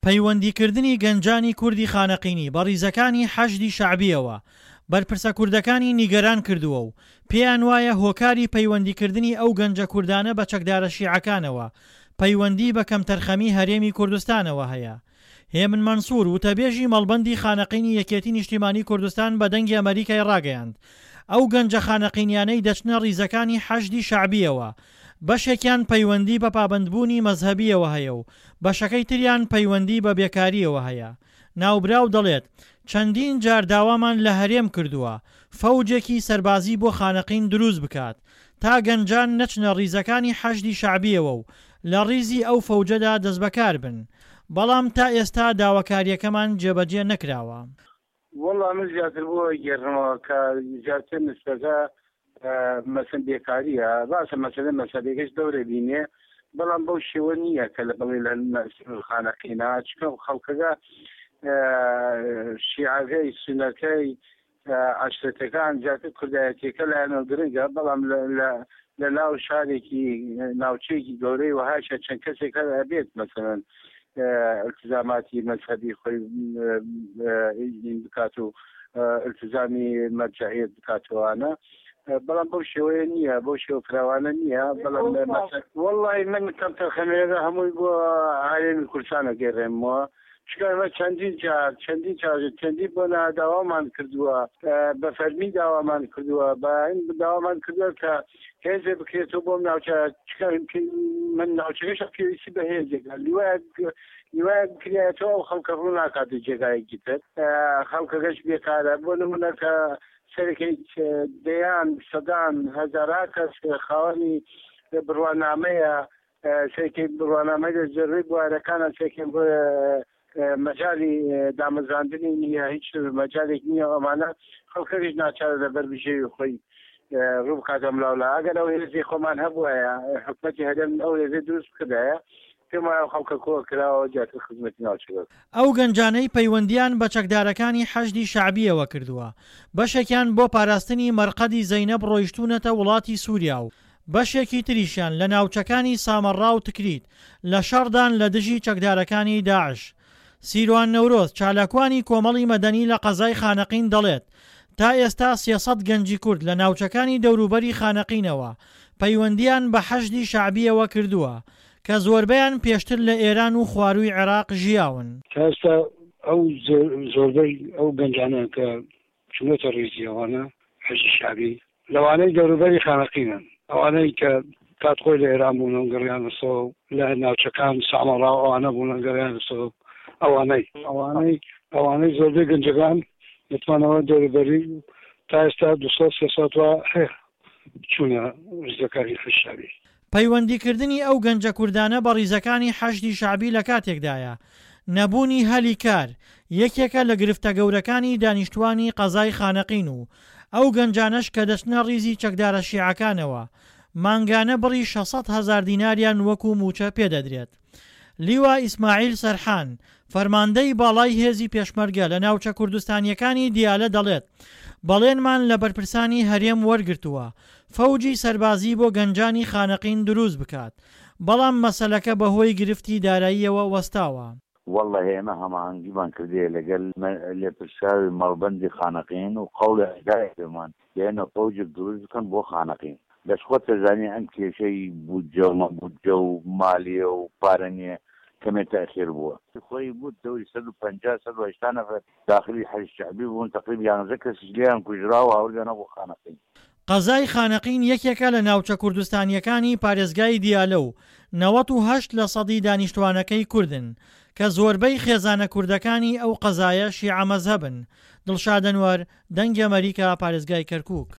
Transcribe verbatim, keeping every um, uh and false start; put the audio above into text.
پەیوەندیکردنی گەنجانی کوردی خانەقینی بە ڕیزەکانی حەشدی شەعبییەوە، بەرپرسە کوردەکانی نیگەران کردووە و پێیانوایە هۆکاری پەیوەندیکردنی ئەو گەنجە کوردانە بە چەکدارە شیعەکانەوە، پەیوەندی بە کەمتەرخەمی هەرێمی کوردستانەوە هەیە. هێمن مەنسوور، وتەبێژی مەڵبەندی خانەقینی یەکێتی نیشتیمانی کوردستان بە دەنگی ئەمەریکای ڕاگەیاند ئەو گەنجە خانەقینیانەی دەچنە ڕیزەکانی حەشدی شەعبییەوە بەشێکیان پەیوەندی بە پابەندبوونی مەزهەبییەوە هەیە و بەشەکەی تریان پەیوەندی بە بێکارییەوە هەیە. ناوبراو دەڵێت چەندین جار داوامان لە هەرێم کردووە فەوجێکی سەربازی بۆ خانەقین دروست بکات تا گەنجان نەچنە ڕیزەکانی حەشدی شەعبییەوە و لە ڕیزی ئەو فەوجەدا دەستبەکاربن، بەڵام تا ئێستا داواکارییەکەمان جێبەجێ نەکراوە. وەڵا من زیاتر بۆ گێڕمەوە کە زیاتر نسبەکە مەسەن بێکاریە، ڕاستە مەسەلە مەسەلەکەش دەورە بینێ، بەڵام بەو شێوە نییە کە لە بڵێ لە خانەقینا، چونکە خەڵکەکە شیعەکەی سونەکەی عەشرەتەکان زیاتر کوردایەتیەکە لایەنەوە گرنگە، بەڵام لە ناو شارێکی ناوچەیەکی گەورەی وەهاشە چەند کەسێک هەر ئەبێت مەسەلەن التزاماتی مەزهەبی خۆی بکات و التزامی مەرجەعیەت بکاتەوانە، بەڵام بەو شێوەیە نییە، بەو شێوە فراوانە نییە. بەڵام وەڵڵاهی من کەمتەرخەمیەکە هەمووی بۆ هەرێمی کوردستان ئەگەڕێمەوە، چونکە ئێمە چەندین جار چەندین جار چەندین بۆ داوامان کردووە، بە فەرمی داوامان کردووە، بە داوامان کردووە کە هێزێ بکرێتەوە بۆم ناوچە، چونکە من ناوچەکەش پێویستی بە هێزێکە، لیوایەک لیوایەک بکرێتەوە ئەو خەڵکە ڕوو ناکاتە جێگایەکی تر، خەڵکەکەش بێکارە. بۆ نمونە کە سەرەکەی دەیان سەدان هەزارها کەس خاوەنی بڕوانامەیە، سەرەکەی بڕوانامەی لە زۆربەی بوارەکانە، سەرەکەی مەجالی دامەزراندنی نییە، هیچ مەجالێک نییە. ئەمانە خەڵکەکەش ناچارە لەبەر بژێوی خۆی ڕوو بکاتە ملاولا. ئەگەر ئەو هێزی خۆمان هەبووایە، حکومەتی هەرێم ئەو هێزی دروست بکردایە، پێم وایە خەڵکە کۆ کراوە زیاتر خزمەتی ناوچەکە. ئەو گەنجانەی پەیوەندییان بە چەکدارەکانی حەشدی شەعبییەوە کردووە، بەشێکیان بۆ پاراستنی مەرقەدی زەینەب ڕۆیشتوونەتە وڵاتی سووریا و بەشێکی تریشیان لە ناوچەکانی سامەڕا و تکریت لە شەڕدان لە دژی چەکدارەکانی داعش. سیروان نەورۆز، چالاکوانی کۆمەڵی مەدەنی لە قەزای خانەقین دەڵێت، تا ئێستا سێ سەد گەنجی کورد لە ناوچەکانی دەوروبەری خانەقینەوە پەیوەندییان بە حەشدی شەعبییەوە کردووە، کە زۆربەیان پێشتر لە ئێران و خوارووی عێراق ژیاون. تا ئێستا ئەو زۆربەی ئەو گەنجانە کە چوونەتە ڕیزی ئەوانە حەشدی شەعبی لەوانەی دەوروبەری خانەقینن، ئەوانەی کە کات خۆی لە ئێران بوون و گەڕیانەسەوە لە ناوچەکان سامەڕا و ئەوانە بوون و گەڕیانەسەوە، ئەوانەی ئەوانەی ئەوانەی زۆربەی گەنجەکان دەتوانەوە دەوروبەری تا ئێستا دوو سەد سێ سەد وا هەیە چوونە ڕیزەکانی حەشدی شەعبی. پەیوەندیکردنی ئەو گەنجە کوردانە بە ڕیزەکانی حەشدی شەعبی لە کاتێکدایە، نەبوونی هەلی کار یەکێکە لە گرفتە گەورەکانی دانیشتوانی قەزای خانەقین و ئەو گەنجانەش کە دەچنە ڕیزی چەکدارە شیعەکانەوە مانگانە بڕی شەش سەد هەزار دیناریان وەکو مووچە پێدەدرێت. لیوا ئیسماعیل سەرحان، فەرماندەی باڵای هێزی پێشمەرگە لە ناوچە کوردستانییەکانی دیالە دەڵێت، بەڵێنمان لە بەرپرسانی هەرێم وەرگرتووە فەوجی سەربازی بۆ گەنجانی خانەقین دروست بکات، بەڵام مەسەلەکە بەهۆی گرفتی داراییەوە وەستاوە. وەڵڵەهی ئێمە هەماهەنگیمان کردیە لەگەل لێپرسراوی مەڵبەندی خانەقین و قەوڵی دایە پێمان لێنە فەوجێک دروست بکەن بۆ خانەقین. بەس خۆت دەزانی ئەم کێشەی بودجە و مەبودجە و مالیە و پارە نیە کەمێ تەئخیر بووە. خۆی بوو دەوری سەد و پەنجا سەد و هەشتا نەفەر داخلی حەشد شەعبی بوون تەقریب یانزە کەسیش لێیان کوژرا و هاوردیانەوە بۆ خانەقین. قەزای خانەقین یەکێکە لە ناوچە کوردستانییەکانی پارێزگای دیالە و نەوەت و هەشت لە سەدی دانیشتوانەکەی کوردن، کە زۆربەی خێزانە کوردەکانی ئەو قەزایە شیعە مەزهەبن. دڵشاد ئەنوەر، دەنگی ئەمەریکا، پارێزگای کەرکوک.